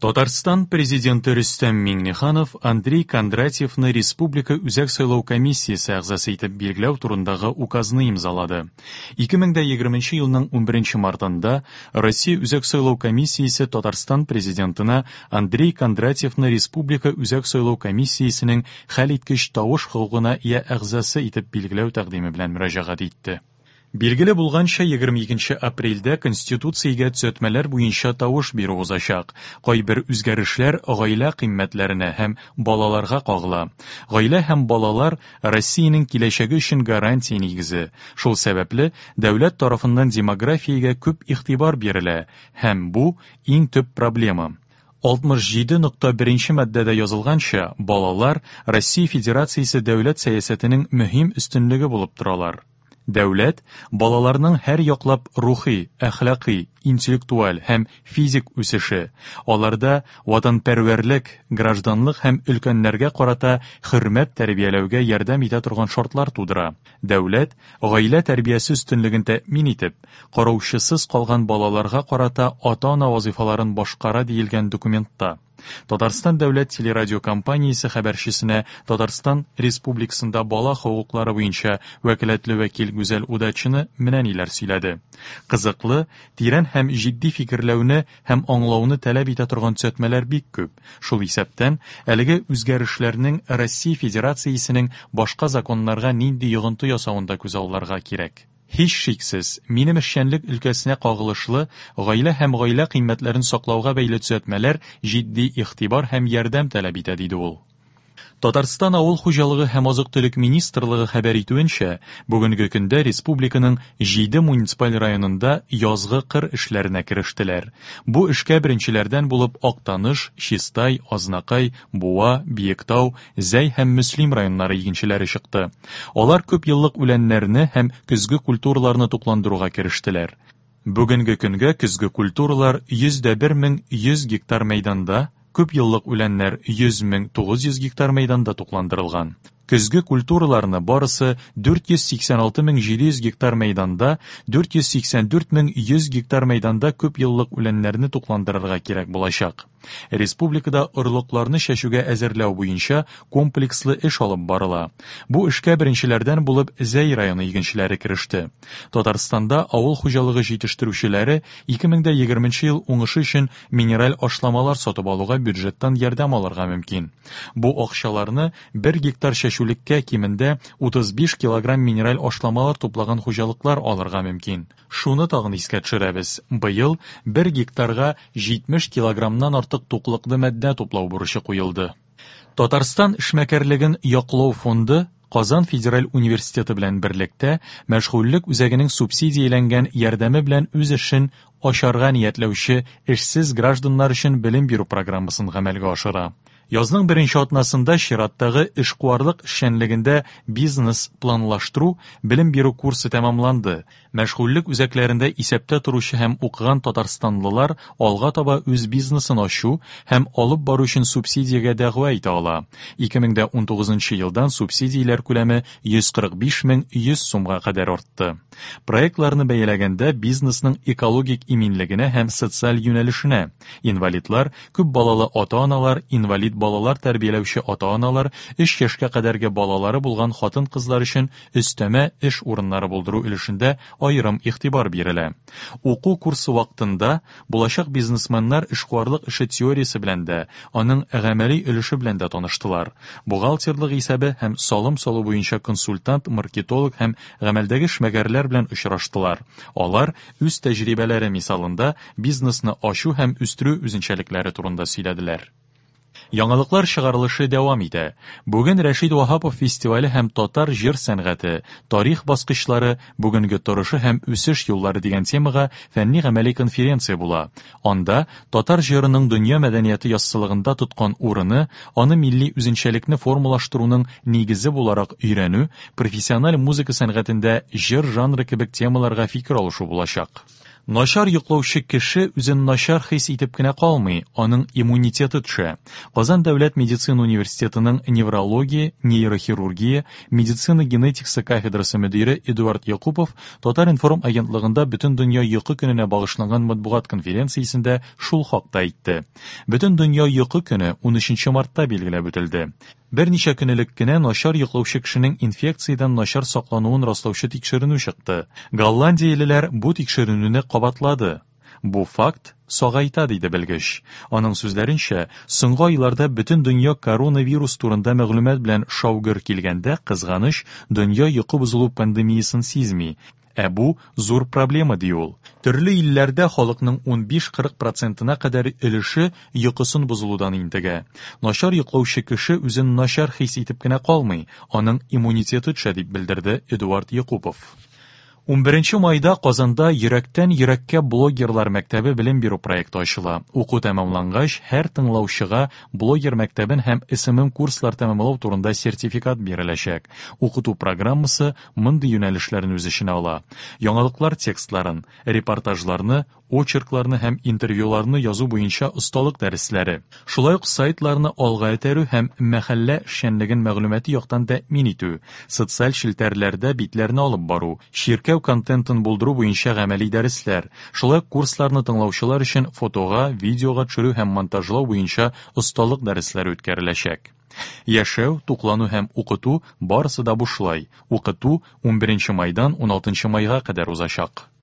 Татарстан Президенты Рөстәм Миңнеханов Андрей Кондратьевны Республика Үзәк сайлау комиссиясе әгъзасы итеп билгеләү турындагы указны имзалады. 2020 елның 11 мартында Россия Үзәк сайлау комиссиясе Татарстан Президентына Андрей Кондратьевны Республика Үзәк сайлау комиссиясенең хәлиткеч тавыш хокукына ия әгъзасы итеп билгеләү тәкъдиме белән мөрәҗәгать итте. Билгеле булганча, 22 апрельдә Конституциягә төзәтмәләр буенча тавыш бирү узачак. Кайбер үзгәрешләр гаилә кыйммәтләренә һәм балаларга кагыла. Гаилә һәм балалар Россиянең киләчәге өчен гарантия нигезе. Шул сәбәпле, дәүләт тарафыннан демографиягә күп игътибар бирелә һәм бу иң төп проблема. 67.1 маддәдә язылганча, балалар Россия Федерациясе дәүләт сәясәтенең мөһим өстенлеге булып торалар. Дәүләт балаларның һәр яклап рухи, әхлакый, интеллектуаль һәм физик үсеше, аларда ватанпәрвәрлек, гражданлык һәм өлкәннәргә карата хөрмәт тәрбияләүгә ярдәм итә торган шартлар тудыра. Дәүләт гаилә тәрбиясе өстенлеген тәэмин итеп, караучысыз калган балаларга карата ата-ана вазыйфаларын башкара диелгән документта. Татарстан дәүләт телерадиокомпаниясе хәбәрчесенә Татарстан Республикасында бала хокуклары буенча вәкаләтле вәкил Гүзәл Удачина менә ниләр сөйләде. Кызыклы, тирән һәм җитди фикерләүне һәм аңлауны таләп итә торган төзәтмәләр бик күп. Шул исәптән, әлеге үзгәрешләрнең Россия Федерациясенең башка законнарга нинди йогынты ясавын да күзалларга кирәк. Һичшиксез, минем эшчәнлек өлкәсенә кагылышлы гаилә һәм гаилә кыйммәтләрен саклауга бәйле төзәтмәләр җитди игътибар һәм ярдәм таләп итә, диде ул. Татарстан Авыл хуҗалыгы һәм азык-төлек министрлыгы хәбәр итүенчә, бүгенге көндә республиканың җиде муниципаль районында язгы кыр эшләренә керештеләр. Бу эшкә беренчеләрдән булып Актаныш, Чистай, Азнакай, Буа, Биектау, Зәй һәм Мөслим районнары игенчеләре чыкты. Алар күп еллык үләннәрне һәм көзге культураларны тукландыруга керештеләр. Бүгенге көнгә көзге культуралар 101 100 гектар мәйданда, күп еллык үләннәр 100 900 гектар мәйданда тукландырылган. Көзге культураларны барысы 486 700 гектар мәйданда, 484 100 гектар мәйданда күп еллык үләннәрне тукландырырга кирәк булачак. Республикада орлыкларны чәчүгә әзерләү буенча комплекслы эш алып барыла. Бу эшкә беренчеләрдән булып Зәй районы игенчеләре кереште. Татарстанда авыл хуҗалыгы җитештерүчеләре 2020 ел уңышы өчен минераль ашламалар сатып алуга бюджеттан ярдәм алырга мөмкин. Бу акчаларны 1 гектар чәчүлеккә кимендә 35 килограмм минераль ашламалар туплаган хуҗалыклар алырга мөмкин. Шуны тагын искә төшерәбез. Быел 1 гектарга 70 килограммнан артык туклыклы матдә туплау бурычы куелды. Татарстан эшмәкәрлеген яклау фонды Казан федераль университеты белән берлектә мәшгульлек үзәгенең субсидияләнгән ярдәме белән үз эшен ачарга ниятләүче эшсез гражданнар өчен белем бирү программасын гамәлгә ашыра. Язның беренче атнасында чираттагы эшкуарлык эшчәнлегендә бизнес планлаштыру белем бирү курсы тәмамланды. Мәшгульлек үзәкләрендә исәптә торучы һәм укыган татарстанлылар алга таба үз бизнесын ачу һәм алып бару өчен субсидиягә дәгъва итә ала. 2019 елдан субсидияләр күләме 145 100 сумга кадәр артты. Проектларны бәяләгәндә бизнесның экологик иминлегенә һәм социаль юнәлешенә, инвалидлар, күп балалы ата-аналар, инвалид балалар тәрбияләүче ата-аналар, 3 яшькә кадәрге балалары булган хатын-кызлар өчен өстәмә эш урыннары булдыру өлешендә аерым игътибар бирелә. Уку курсы вакытында булачак бизнесменнар эшкуарлык эше теориясе белән дә, аның гамәли өлеше белән дә таныштылар. Бухгалтерлык исәбе һәм салым салу буенча консультант, маркетолог һәм гамәлдәге эшмәкәрләр белән очраштылар. Алар үз тәҗрибәләре мисалында бизнесны ачу һәм үстерү үзенчәлекләре турында сөйләделәр. Яңалыклар чыгарылышы дәвам итә. Бүген Рәшид Ваһапов фестивале һәм татар җыр сәнгате, тарих баскычлары, бүгенге торышы һәм үсеш юллары дигән темага фәнни-гамәли конференция була. Анда татар җырының дөнья мәдәнияте яссылыгында тоткан урыны, аны милли үзенчәлекне формалаштыруның нигезе буларак өйрәнү, профессиональ музыка сәнгатендә җыр жанры кебек темаларга фикер алышу булачак. Начар йоклаучы кеше үзен начар хис итеп кенә калмый, аның иммунитеты төшә. Казан дәүләт медицина университетының неврология, нейрохирургия, медицина генетикасы кафедрасы мөдире Эдуард Якупов Татар-информ агентлыгында Бөтендөнья йокы көненә багышланган матбугат конференциясендә шул хакта әйтте. Бөтендөнья йокы көне 13 мартта билгеләп үтелде. Берничә көн элек кенә начар йоклаучы кешенең инфекциядән начар саклануын раслаучы тикшеренү чыкты. Голландиялеләр бу тикшеренүне кабатлады. Бу факт сагайта, диде белгеч. Аның сүзләренчә, соңгы айларда бөтен дөнья коронавирус турында мәгълүмат белән шау-гөр килгәндә, кызганыч, дөнья йокы бозылу пандемиясен сизми. Ә бу зур проблема, ди ул. Төрле илләрдә халыкның 15-40 процентына кадәр өлеше йокысын бозылудан интегә. Начар йоклаучы кеше үзен начар хис итеп кенә калмый, аның иммунитеты төшә, дип белдерде Эдуард Якупов. 11 майда Казанда Йөрәктән йөрәккә блогерлар мәктәбе белем бирү проекты ачыла. Уку тәмамлангач, һәр тыңлаучыга блогер мәктәбен һәм SMM курслар тәмамлау турында сертификат биреләчәк. Укыту программасы мондый юнәлешләрне үз эченә ала. Яңалыклар текстларын, репортажларны, очеркларны һәм интервьюларны язу буенча осталык дәресләре. Шулай ук сайтларны алга этәрү һәм мәхәллә эшчәнлеген мәгълүмати яктан тәэмин итү, социаль челтәрләрдә битләрне алып бару, чиркәү контентын булдыру буенча гамәли дәресләр, шулай ук курсларны тыңлаучылар өчен фотога, видеога төшерү һәм монтажлау буенча осталык дәресләре үткәреләчәк. Яшәү, туклану һәм укыту барысы да бушлай. Укыту 11 майдан 16 майга кадәр узачак.